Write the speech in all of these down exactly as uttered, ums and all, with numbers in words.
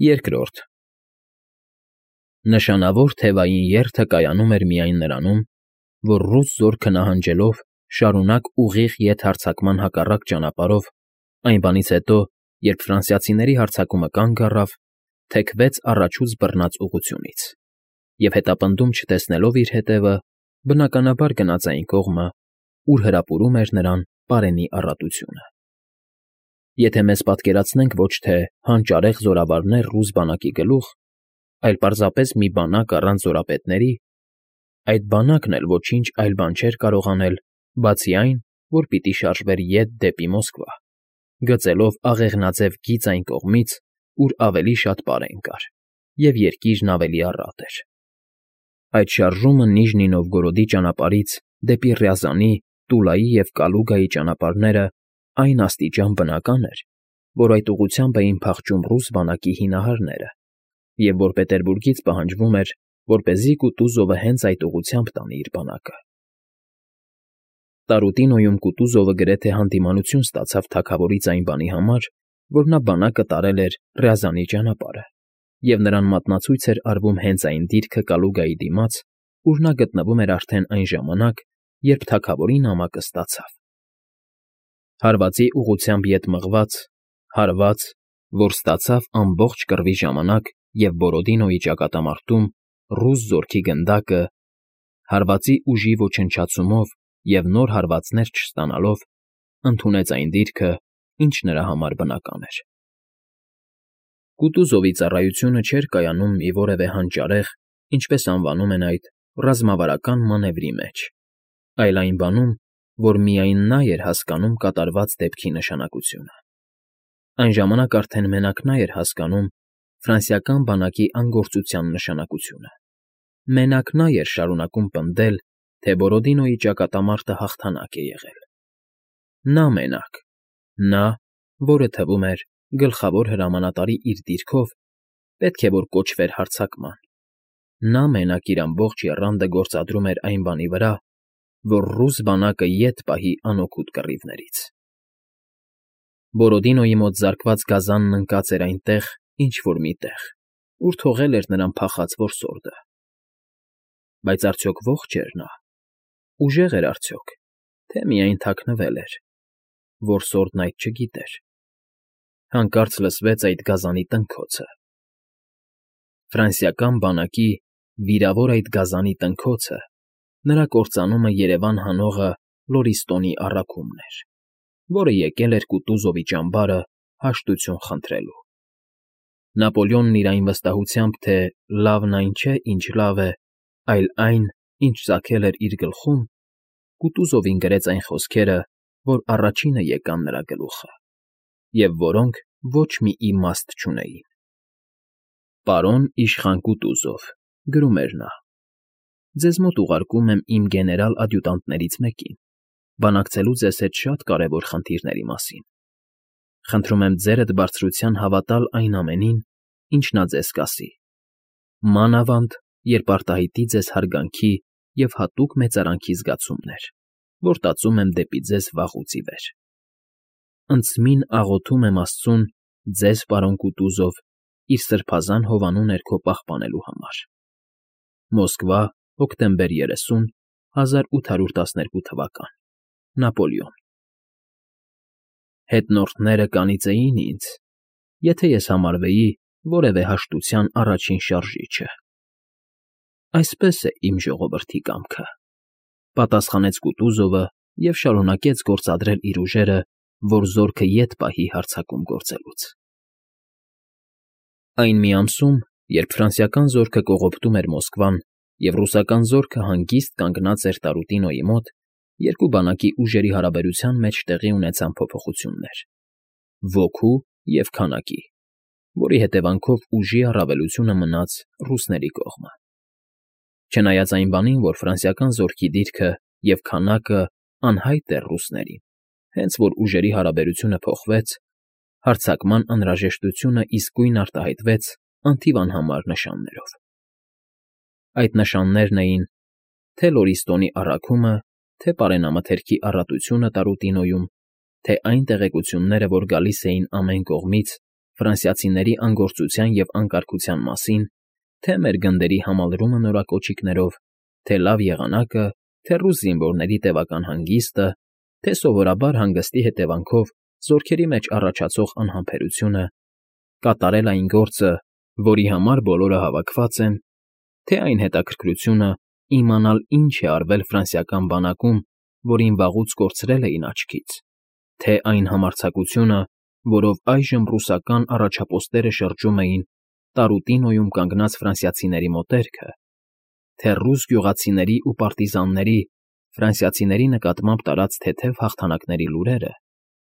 Երկրորդ Նշանավոր թևային երթը կայանում էր միայն նրանում, որ ռուս զորքը նահանջելով շարունակ ուղիղ ետ հարձակման հակառակ ճանապարհով, այն բանից հետո, երբ ֆրանսիացիների հարձակումը կանգ առավ, թեքվեց առաջուց բռնած ուղղությունից և հետապնդում չտեսնելով իր հետևը, բնականաբար գնաց այն կողմը, ուր հրապուրում էր նրան պարենի առատությունը։ Եթե մեզ պատկերացնենք ոչ թե հանճարեղ զորավարներ ռուս բանակի գլուխ, այլ պարզապես մի բանակ առանց զորապետների, այդ բանակն էլ ոչինչ այլ բան չէր կարող անել, բացի այն, որ պիտի շարժվեր ետ դեպի Մոսկվա, գծելով աղեղնաձև գիծ այն կողմից, ուր ավելի շատ պարեն կար, և երկիրն ավելի առատ էր։ Այդ շարժումը Նիժնի Նովգորոդի ճանապարհից դեպի Ռյազանի, Տուլայի և Կալուգայի ճանապարհները այն աստիճան բնական էր, որ այդ ուղղությամբ էին փախչում ռուս բանակի հինահարները, և որ Պետերբուրգից պահանջվում էր, որպեսզի Կուտուզովը հենց այդ ուղղությամբ տանի իր բանակը։ Տարուտինոյում Կուտուզովը գրեթե հանդիմանություն ստացավ թագավորից այն բանի համար, որ նա բանակը տարել էր Ռյազանի ճանապարհը, և նրան մատնացույց էր արվում հենց այն դիրքը Կալուգայի դիմաց, ուր նա գտնվում էր արդեն այն ժամանակ, երբ թագավորի նամակը ստացավ։ Հարվածի ուղղությամբ ետ մղված, հարված, որ ստացավ ամբողջ կռվի ժամանակ և Բորոդինոյի ճակատամարտում ռուս զորքի գնդակը, հարվածի ուժի ոչնչացումով և նոր հարվածներ չստանալով, ընդունեց այն դիրքը, ինչ նրա համար բնական էր։ Կուտուզովի ծառայությունը չէր կայանում մի որևէ հանճարեղ, ինչպես անվանում են այդ, ռազմավարական մանևրի մեջ, այլ այն բանում, որ միայն նա էր հասկանում կատարված դեպքի նշանակությունը։ Այն ժամանակ արդեն մենակ նա էր հասկանում ֆրանսիական բանակի անգործության նշանակությունը։ Մենակ նա էր շարունակում պնդել, թե Բորոդինոյի ճակատամարտը հաղթանակ է եղել։ Նա մենակ, նա, որը թվում էր գլխավոր հրամանատարի իր դիրքով, պետք է որ կոչվեր հարձակման։ Նա մենակ իր ամբողջ եռանդը գործադրում էր այն բանի վրա, որ ռուս բանակը ետ պահի անօգուտ կռիվներից։ Բորոդինոյի մոտ զարկված գազանն ընկած էր այնտեղ, ինչ֊որ մի տեղ, ուր թողել էր նրան փախած որսորդը։ Բայց արդյոք ո՞ղջ էր նա։ Ուժեղ էր արդյոք, թե միայն թաքնվել էր։ Որսորդն այդ չգիտեր։ Հանկարծ լսվեց այդ գազանի տնքոցը։ Ֆրանսիական բանակի, վիրավոր այդ գազանի տնքոցը, նրա կործանումը երևան հանողը Լորիստոնի առաքումն էր, որը եկել էր Կուտուզովի ճամբարը հաշտություն խնդրելու։ Նապոլեոնն իր այն վստահությամբ, թե լավն այն չէ, ինչ լավ է, այլ այն, ինչ ծագել էր իր գլխում, Կուտուզովին գրեց այն խոսքերը, որ առաջինը եկան նրա գլուխը, և որոնք ոչ մի իմաստ չունեին։ «Պարոն իշխան Կուտուզով,֊ գրում էր նա,֊ ձեզ մոտ ուղարկում եմ իմ գեներալ֊ադյուտանտներից մեկին, բանակցելու ձեզ հետ շատ կարևոր խնդիրների մասին։ Խնդրում եմ ձերդ բարձրության հավատալ այն ամենին, ինչ նա ձեզ կասի, մանավանդ, երբ արտահայտի ձեզ հարգանքի և հատուկ մեծարանքի զգացումներ, որ տածում եմ դեպի ձեզ վաղուց ի վեր։ Ընծմին աղոթում եմ Աստծուն ձեզ, պարոն Կուտուզով, իր սրբազան հովանու ներքո պահպանելու համար։ Մոսկվա, հոկտեմբեր երեսուն, հազար ութ հարյուր տասներկու թվական Նապոլեոն։ Հետնորդները կանիծեին ինձ, եթե ես համարվեի որևէ հաշտության առաջին շարժիչը։ Այսպես է իմ ժողովրդի կամքը,֊ պատասխանեց Կուտուզովը և շարունակեց գործադրել իր ուժերը, որ զորքը ետ պահի հարձակում գործելուց։ Այն մի ամսում, երբ ֆրանսիական զորքը կողոպտում էր Մոսկվան, և ռուսական զորքը հանգիստ կանգնած էր Տարուտինոյի մոտ, երկու բանակի ուժերի հարաբերության մեջ տեղի ունեցան փոփոխություններ՝ ոգու և քանակի, որի հետևանքով ուժի առավելությունը մնաց ռուսների կողմը։ Չնայած այն բանին, որ ֆրանսիական զորքի դիրքը և քանակը անհայտ էր ռուսներին, հենց որ ուժերի հարաբերությունը փոխվեց, հարձակման անհրաժեշտությունը իսկույն արտահայտվեց անթիվ անհամար նշաններով։ Այդ նշաններն էին թե՛ Լորիստոնի առաքումը, թե՛ պարենամթերքի առատությունը Տարուտինոյում, թե՛ այն տեղեկությունները, որ գալիս էին ամեն կողմից Ֆրանսիացիների անգործության և անկարգության մասին, թե մեր գնդերի համալրումը նորակոչիկներով, թե լավ եղանակը, թե ռուս զինվորների տևական հանգիստը, թե սովորաբար հանգստի հետևանքով զորքերի մեջ առաջացող անհամբերությունը, կատարել այն գործը, որի համար բոլորը հավաքված են, թե այն հետաքրքրությունը իմանալ ինչ է արվել ֆրանսիական բանակում, որին վաղուց կորցրել էին աչքից, թե այն համարձակությունը, որով այժմ ռուսական առաջապոստները շրջում էին Տարուտինոյում կանգնած ֆրանսիացիների մոտերքը, թե ռուս գյուղացիների ու պարտիզանների ֆրանսիացիների նկատմամբ տարած թեթև հաղթանակների լուրերը,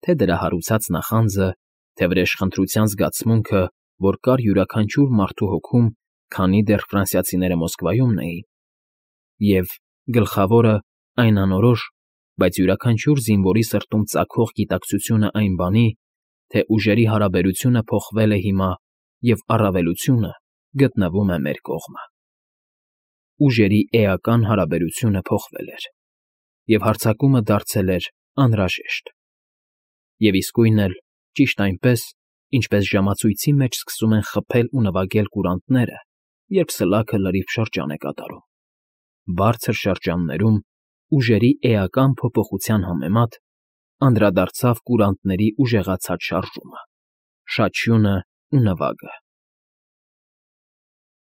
թե դրա հարուցած նախանձը, թե վրեժխնդրության զգացմունքը, որ կար յուրաքանչյուր մարդու հոգում, քանի դեռ ֆրանսիացիները Մոսկվայումն էին, և, գլխավորը, այն անորոշ, բայց յուրաքանչյուր զինվորի սրտում ծագող գիտակցությունը այն բանի, թե ուժերի հարաբերությունը փոխվել է հիմա և առավելությունը գտնվում է մեր կողմը։ Ուժերի էական հարաբերությունը փոխվել էր, և հարձակումը դարձել էր անհրաժեշտ։ Եվ իսկույն էլ, ճիշտ այնպես, ինչպես ժամացույցի մեջ սկսում են խփել ու նվագել կուրանտները, երբ սլաքը լրիվ շրջան է կատարում, բարձր շրջաններում, ուժերի էական փոփոխության համեմատ, անդրադարձավ կուրանտների ուժեղացած շարժումը, շաչյունն ու նվագը։